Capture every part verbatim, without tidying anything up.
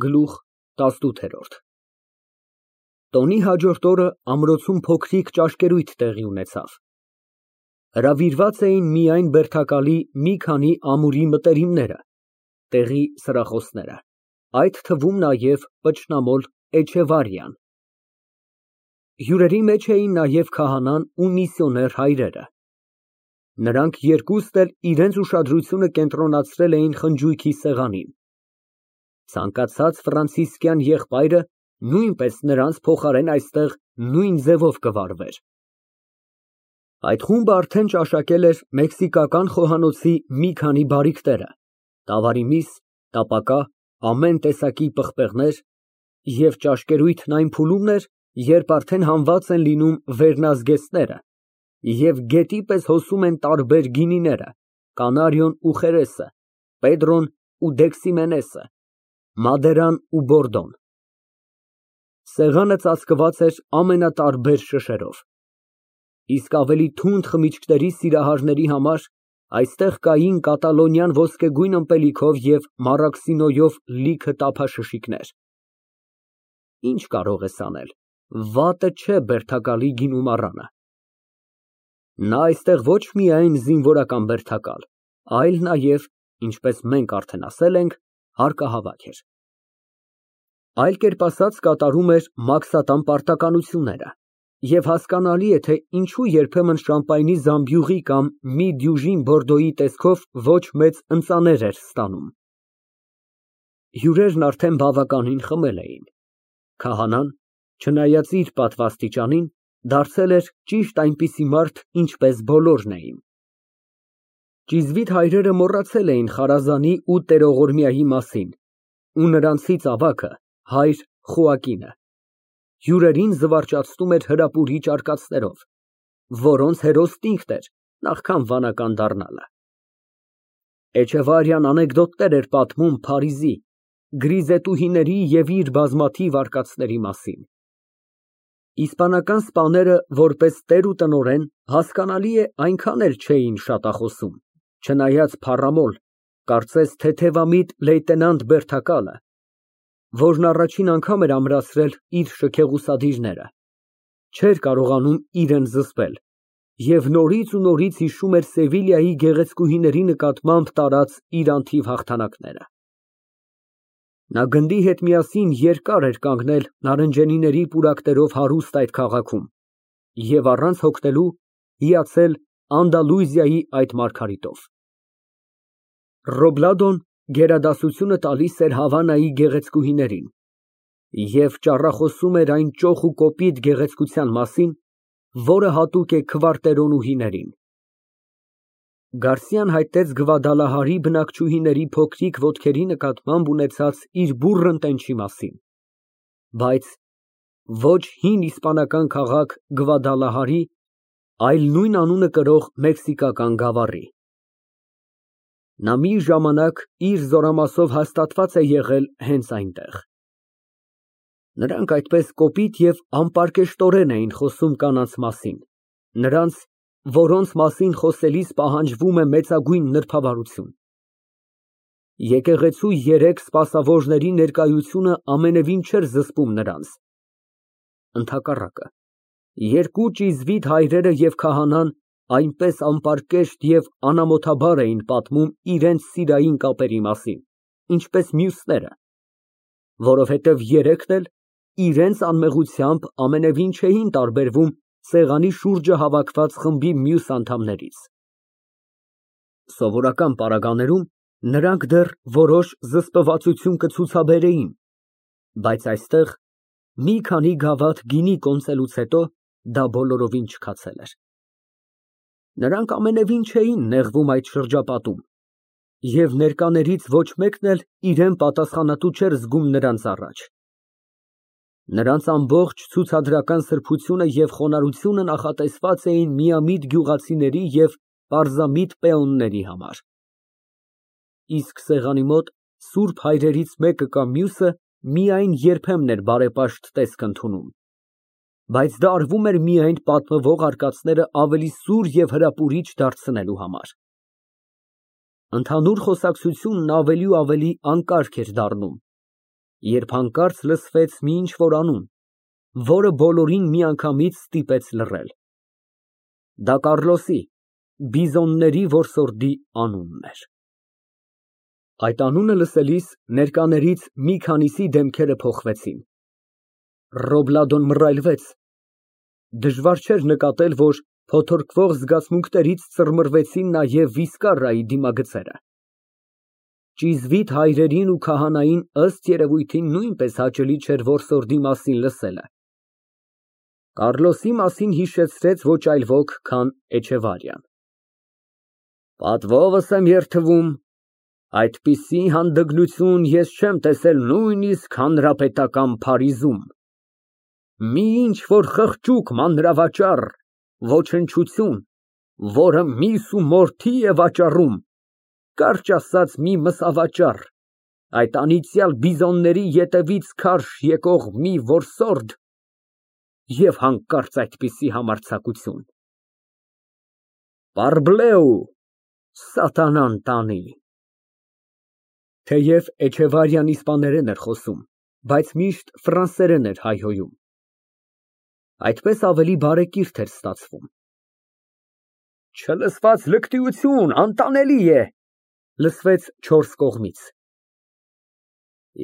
Գլուխ տասնութ։ Տոնի հաջորդ օրը ամրոցում փոքրիկ ճաշկերույթ տեղի ունեցավ. հրավիրված էին միայն բերդակալի մի քանի ամուրի մտերիմները, տեղի սրախոսները, այդ թվում նաև պճնամոլ Էչեվարիան։ Հյուրերի մեջ էին նաև քահանան ու միսիոներ հայրերը։ Նրանք երկուստ էլ իրենց ուշադրությունը կենտրոնացրել էին խնջույքի սեղանին։ Ցանկացած ֆրանցիսկյան եղբայրը նույնպես նրանց փոխարեն այստեղ նույն ձևով կվարվեր։ Այդ խումբը արդեն ճաշակել էր մեքսիկական խոհանոցի մի քանի բարիքները, տավարի միս, տապակա, ամեն տեսակի պղպեղներ, և ճաշկերույթն այն փուլումն էր, երբ արդեն հանված են լինում վերնազգեստները և գետի պես հոսում են տարբեր գինիները՝ կանարիոն ու խերեսը, պեդրոն ու դեքսիմենեսը, մադերան ու բորդոն։ Սեղանը ծածկված էր ամենատարբեր շշերով։ Իսկ ավելի թունդ խմիչքների սիրահարների համար այստեղ կային կատալոնյան ոսկեգույն ըմպելիքով և մարաքսինոյով լիքը տափաշշիկներ։ Ինչ կարող ես անել, վատը չէ բերդակալի գինու մառանը։ Նա այստեղ ոչ միայն զինվորական բերդակալ, այլ նաև, ինչպես մենք արդեն ասել ենք, հարկահավաք էր։ Այլ կերպ ասած, կատարում էր մաքսատան պարտականությունները, և հասկանալի է, թե ինչու երբեմն շամպայնի զամբյուղի կամ մի դյուժին բորդոյի տեսքով ոչ մեծ ընծաներ էր ստանում։ Հյուրերն արդեն բավականին խմել էին։ Քահանան, չնայած իր պատվաստիճանին, դարձել էր ճիշտ այնպիսի մարդ, ինչպես բոլորն էին։ Ճիզվիտ հայրերը մոռացել էին Խարազանի ու տերողորմյայի մասին ու նրանցից ավագը, հայր Խոակինը, հյուրերին զվարճացնում էր հրապուրիչ արկածներով, որոնց հերոսն ինքն էր, նախքան վանական դառնալը։ Էչեվարիան անեկդոտներ էր պատմում Փարիզի, գրիզետուհիների և իր բազմաթիվ արկածների մասին։ Իսպանական սպաները, որպես տեր ու տնօրեն, հասկանալի է, այնքան էլ չէին շատախոսում, չնայած փառամոլ, կարծես թեթևամիտ լեյտենանտ Բերդակալը, որն առաջին անգամ էր ամրացրել իր շքեղուսադիրները, չէր կարողանում իրան զսպել և նորից ու նորից հիշում էր Սևիլիայի գեղեցկուհիների նկատմամբ տարած իր անթիվ հաղթանակները։ Նա գնդի հետ միասին երկար էր կանգնել նարնջենիների պուրակներով հարուստ այդ քաղաքում և առանց հոգնելու հիացել Անդալուզիայի այդ մարգարիտով։ Ռոբլադոն գերադասությունը տալիս էր Հավանայի գեղեցկուհիներին և ճառախոսում էր այն ճոխ ու կոպիտ գեղեցկության մասին, որը հատուկ է քվարտերոնուհիներին։ Գարսիան հայտնեց Գվադալահարի բնակչուհիների փոքրիկ ոտքերի նկատմամբ ունեցած իր բուռն տենչի մասին, բայց ոչ հին իսպանական քաղաք Գվադալահարի, այլ նույն անունը կրող մեքսիկական գավառի։ Նա մի ժամանակ իր զորամասով հաստատված է եղել հենց այնտեղ։ Նրանք այդպես կոպիտ և անպարկեշտորեն էին խոսում կանանց մասին, նրանց, որոնց մասին խոսելիս պահանջվում է մեծագույն նրբավարություն։ Եկեղեցու երեք սպասավորների ներկայությունը ամենևին չէր զսպում նրանց։ Ընդհակառակը, երկու ճիզվիտ հայրերը և քահանան այնպես անպարկեշտ և անամոթաբար էին պատմում իրենց սիրային կապերի մասին, ինչպես մյուսները, որովհետև երեքն էլ իրենց անմեղությամբ ամենևին չէին տարբերվում սեղանի շուրջը հավաքված խմբի մյուս անդամներից։ Սովորական պարագաներում նրանք դեռ որոշ զսպվածություն կցուցաբերեին, բայց այստեղ, մի քանի գավաթ գինի կոնծելուց հետո, դա բոլորովին չքացել էր։ Նրանք ամենևին չէին նեղվում այդ շրջապատում, և ներկաներից ոչ մեկն էլ իրան պատասխանատու չէր զգում նրանց առաջ։ Նրանց ամբողջ ցուցադրական սրբությունը և խոնարհությունը նախատեսված էին միամիտ գյուղացիների և պարզամիտ պեոնների համար։ Իսկ սեղանի մոտ սուրբ հայրերից մեկը կամ մյուսը միայն երբեմն էր բարեպաշտ տեսք ընդունում, բայց դա արվում էր միայն պատմվող արկածները ավելի սուր և հրապուրիչ դարձնելու համար։ Ընդհանուր խոսակցությունն ավելի ու ավելի անկարգ էր դառնում, երբ հանկարծ լսվեց մի ինչ֊որ անուն, որը բոլորին միանգամից ստիպեց լռել։ Դա Կառլոսի, բիզոնների որսորդի անունն էր։ Այդ անունը լսելիս ներկաներից մի քանիսի դեմքերը փոխվեցին։ Ռոբլադոն մռայլվեց։ Դժվար չէր նկատել, որ փոթորկվող զգացմունքներից ծռմռվեցին նաև Վիսկարայի դիմագծերը։ Ճիզվիտ հայրերին ու քահանային ըստ երևույթին նույնպես հաճելի չէր որսորդի մասին լսելը։ Կառլոսի մասին հիշեցրեց ոչ այլ ոք, քան Էչեվարիան։ Պատվովս եմ երդվում, այդպիսի հանդգնություն ես չեմ տեսել նույնիսկ հանրապետական Փարիզում։ Մի ինչ֊որ խղճուկ մանրավաճառ, ոչնչություն, որը միս ու մորթի է վաճառում, կարճ ասած մի մսավաճառ, այդ անիծյալ բիզոնների ետևից քարշ եկող մի որսորդ և հանկարծ այդպիսի համարձակություն։ Պարբլեու, սատանան տանի։ Թեև Էչեվարիան իսպաներեն էր խոսում, բայց միշտ ֆրանսերեն էր հայհոյում։ Այդպես ավելի բարեկիրթ էր ստացվում։ Չլսված լկտիություն, անտանելի է, լսվեց չորս կողմից։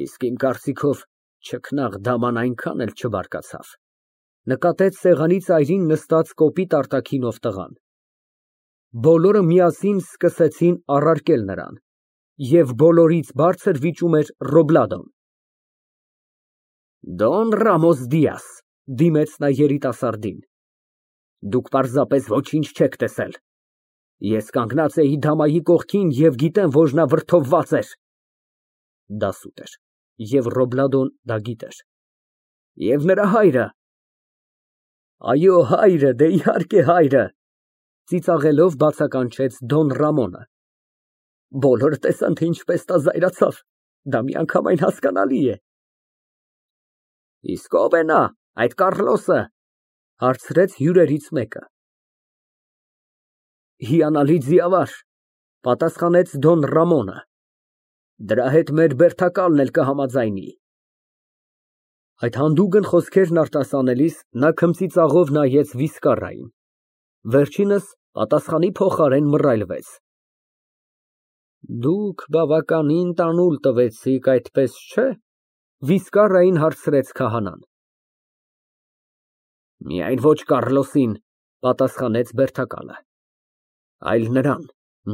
Իսկ իմ կարծիքով չքնաղ դաման այնքան էլ չբարկացավ, նկատեց սեղանի ծայրին նստած կոպիտ արտաքինով տղան։ Բոլորը միասին սկսեցին առարկել նրան, և բոլորից բարձր վիճում էր Ռոբլադոն։ Դոն Ռամոս Դիաս, դիմեց նա երիտասարդին, դուք պարզապես ոչինչ չեք տեսել։ Ես կանգնած էի դամայի կողքին և գիտեմ, որ նա վրդովված էր։ Դա սուտ էր, և Ռոբլադոն դա գիտեր։ Եվ նրա հայրը։ Այո, հայրը, դե իհարկե հայրը, ծիծաղելով բացականչեց Դոն Ռամոնը։ Բոլորը տեսան, թե ինչպես նա զայրացավ, դա միանգամայն հասկանալի է։ Իսկ ո՞վ է նա, այդ Կառլոսը, հարցրեց հյուրերից մեկը։ Հիանալի ձիավար, պատասխանեց Դոն Ռամոնը, դրա հետ մեր բերդակալն էլ կհամաձայնի։ Այդ հանդուգն խոսքերն արտասանելիս նա քմծիծաղով նայեց Վիսկարային, վերջինս պատասխանի փոխարեն մռայլվեց։ Դուք բավականին տանուլ տվեցիք, այդպես չէ՞, Վիսկարային հարցրեց քահանան։ Միայն ոչ Կառլոսին, պատասխանեց բերդակալը, այլ նրան,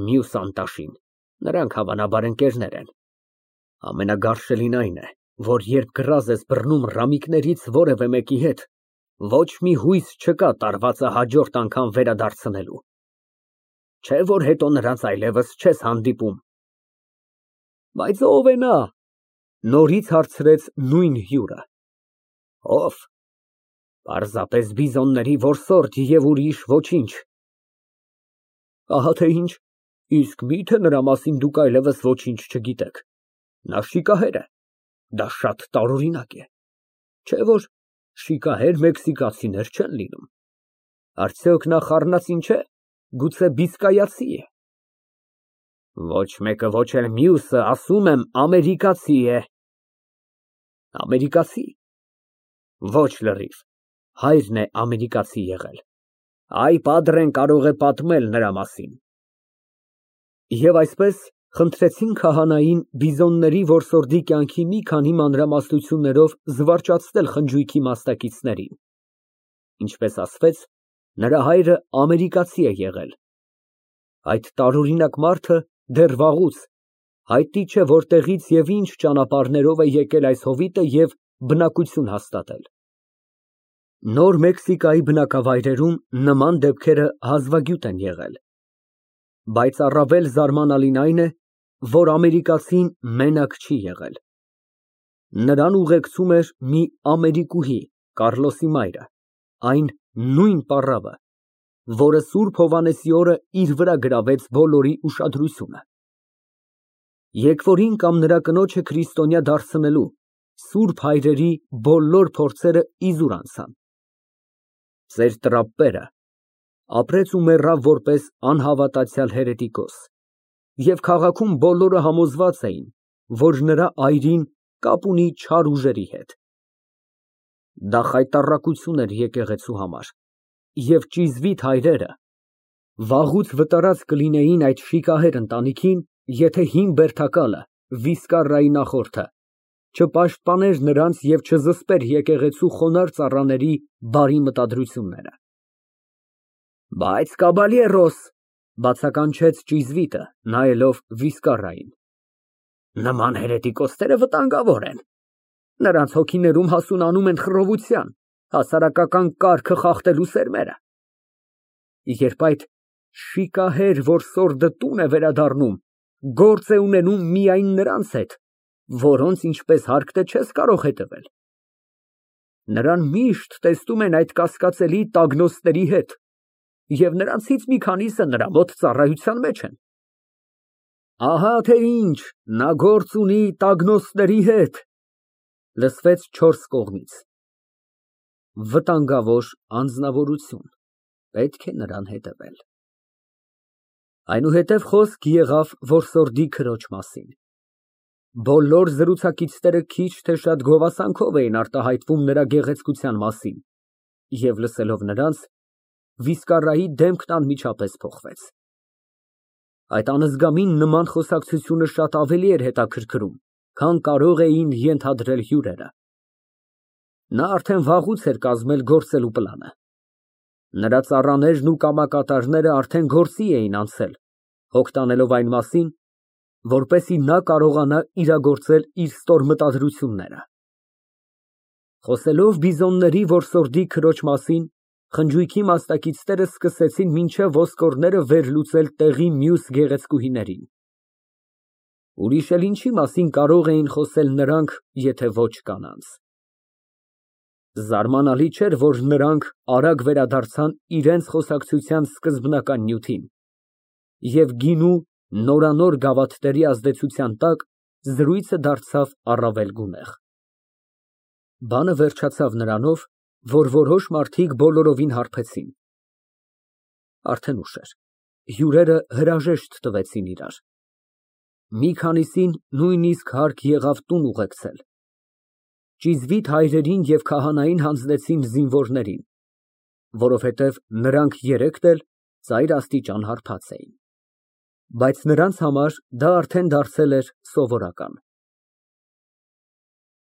մյուս անտաշին, նրանք հավանաբար ընկերներ են։ Ամենագարշելին այն է, որ երբ գրազ ես բռնում ռամիկներից որևէ մեկի հետ, ոչ մի հույս չկա տարվածը հաջորդ անգամ վերադարձնելու։ Չէ՞ որ հետո նրանց այլևս չես հանդիպում։ Բայց ո՞վ է նա, նորից հարցրեց նույն հյուրը։ Ո՞վ։ Պարզապես բիզոնների որսորդ և ուրիշ ոչինչ։ Ահա թե ինչ, իսկ մի՞թե նրա մասին դուք այլևս ոչինչ չգիտեք։ Նա շիկահեր է, դա շատ տարօրինակ է։ Չէ՞ որ շիկահեր մեքսիկացիներ չեն լինում։ Արդյոք նա խառնածին չէ, գուցե բիսկայացի է։ Ոչ մեկը, ոչ էլ մյուսը, ասում եմ, ամերիկացի է։ Ամերիկացի։ Ոչ լրիվ, հայրն է ամերիկացի եղել։ Այ Պադրեն կարող է պատմել նրա մասին։ Եվ այսպես խնդրեցին քահանային բիզոնների որսորդի կյանքի մի քանի մանրամասնություններով զվարճացնել խնջույքի մասնակիցներին։ Ինչպես ասվեց, նրա հայրը ամերիկացի է եղել։ Այդ տարօրինակ մարդը դեռ վաղուց հայտնի չէ որտեղից և ինչ ճանապարհներով է եկել այս հովիտը և բնակություն հաստատել։ Նոր Մեքսիկայի բնակավայրերում նման դեպքերը հազվագյուտ են եղել։ Բայց առավել զարմանալին այն է, որ ամերիկացին մենակ չի եղել։ Նրան ուղեկցում էր մի ամերիկուհի, Կառլոսի մայրը, այն նույն պառավը, որը Սուրբ Հովհաննեսի օրը իր վրա գրավեց բոլորի ուշադրությունը։ Եկվորին կամ նրա կնոջը քրիստոնյա դարձնելու սուրբ հայրերի բոլոր փորձերը իզուր անցան։ Ծեր տրապպերը ապրեց ու մեռավ որպես անհավատացյալ հերետիկոս, և քաղաքում բոլորը համոզված էին, որ նրա այրին կապ ունի չար ուժերի հետ։ Դա խայտառակություն էր եկեղեցու համար, և ճիզվիտ հայրերը վաղուց վտարած կլինեին այդ շիկահեր ընտանիքին, եթե հին բերդակալը, Վիսկարիայի նախորդը, չպաշտպաներ նրանց և չզսպեր եկեղեցու խոնարհ ծառաների բարի մտադրությունները։ Բայց, կաբալերոս, բացականչեց ճիզվիտը, նայելով Վիսկարիային, նման հերետիկոսները վտանգավոր են, նրանց հոգիներում հասունանում են խռովության, հասարակական կարգը խախտելու սերմերը։ Երբ այդ շիկահեր, որ սորդը տուն է վերադառնում, գործ է ունենում միայն նրանց հետ, որոնց ինչպես հարկն է չես կարող հետևել, նրան միշտ տեսնում են այդ կասկածելի տագնոստների հետ, և նրանցից մի քանիսը նրա մոտ ծառայության մեջ են։ Ահա թե ինչ, նա գործ ունի տագնոստների հետ, լսվեց չորս կողմից։ Վտանգավոր անձնավորություն, պետք է նրան հետևել։ Այնուհետև խոսք եղավ որսորդի քրոջ մասին։ Բոլոր զրուցակիցները քիչ թե շատ գովասանքով էին արտահայտվում նրա գեղեցկության մասին, և լսելով նրանց, Վիսկարիայի դեմքն անմիջապես փոխվեց։ Այդ անզգամին նման խոսակցությունը շատ ավելի էր հետաքրքրում, քան կարող էին ենթադրել հյուրերը։ Նա արդեն վաղուց էր կազմել գործելու պլանը։ Նրա ծառաներն ու կամակատարները արդեն գործի էին անցել, հոգ տանելով այն մասին, որպեսզի նա կարողանա իրագործել իր ստոր մտադրությունները։ Խոսելով բիզոնների որսորդի քրոջ մասին, խնջույքի մասնակիցները սկսեցին մինչև ոսկորները վերլուծել տեղի մյուս գեղեցկուհիներին։ Ուրիշ էլ ինչի մասին կարող էին խոսել նրանք, եթե ոչ կանանց։ Զարմանալի չէր, որ նրանք արագ վերադարձան իրենց խոսակցության սկզբնական նյութին, և գինու նորանոր գավաթների ազդեցության տակ զրույցը դարձավ առավել գունեղ։ Բանը վերջացավ նրանով, որ որոշ մարդիկ բոլորովին հարբեցին։ Արդեն ուշ էր, հյուրերը հրաժեշտ տվեցին իրար։ Մի քանիսին նույնիսկ հարկ եղավ տուն ուղեկցել։ Ճիզվիտ հայրերին և քահանային հանձնեցին զինվորներին, որովհետև նրանք երեքն էլ ծայրաստիճան հարբած էին։ Բայց նրանց համար դա արդեն դարձել էր սովորական։